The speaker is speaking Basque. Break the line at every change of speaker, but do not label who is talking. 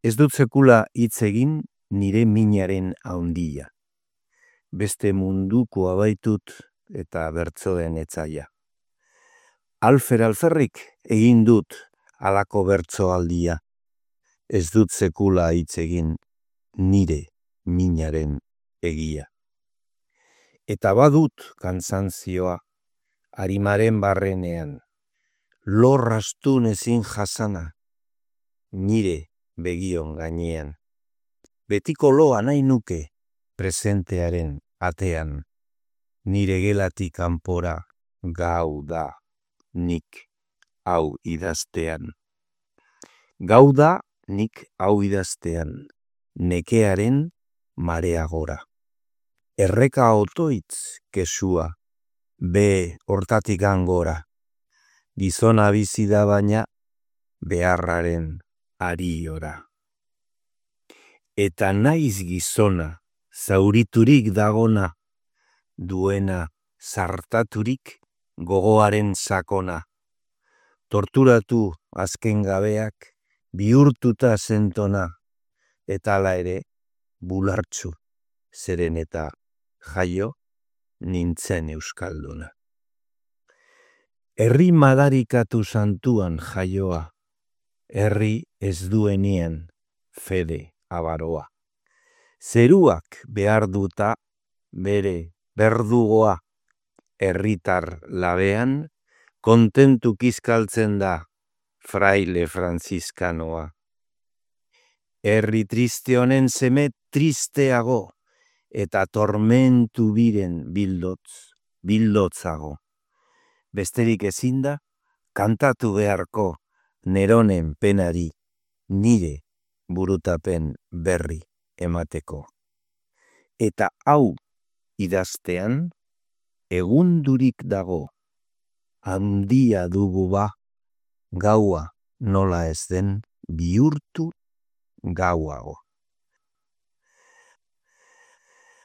Ez dut sekula hitz egin nire minaren haundia. Beste munduko abaitut eta bertsoen etzaia. Alferrik egin dut halako bertsoaldia. Ez dut sekula hitz egin nire minaren egia. Eta badut kantzantzioa arimaren barrenean, lorrastun ezin jasana, nire begion gainean. Betiko loa nahi nuke presentearen atean, nire gelatik kanpora gau da nik hau idaztean. Gau da nik hau idaztean, nekearen marea gora. Erreka otoitz kesua, be hortatik angora. Gizona bizi da baina beharraren ariora. Eta naiz gizona, zauriturik dagona, duena zartaturik gogoaren sakona. Torturatu azken gabeak bihurtuta zentona, eta hala ere bulartzu zeren eta jaio nintzen euskalduna. Herri madarikatu santuan jaioa, herri ez duenien fede abaroa. Zeruak behar duta bere berdugoa, herritar labean kontentu kizkaltzen da fraile franziskanoa. Herri triste honen seme tristeago, eta tormentu biren bildotzago. Besterik ezinda, kantatu beharko neronen penari, nire burutapen berri emateko. Eta hau idaztean, egundurik dago, handia dugu ba, gaua nola ez den bihurtu gauago.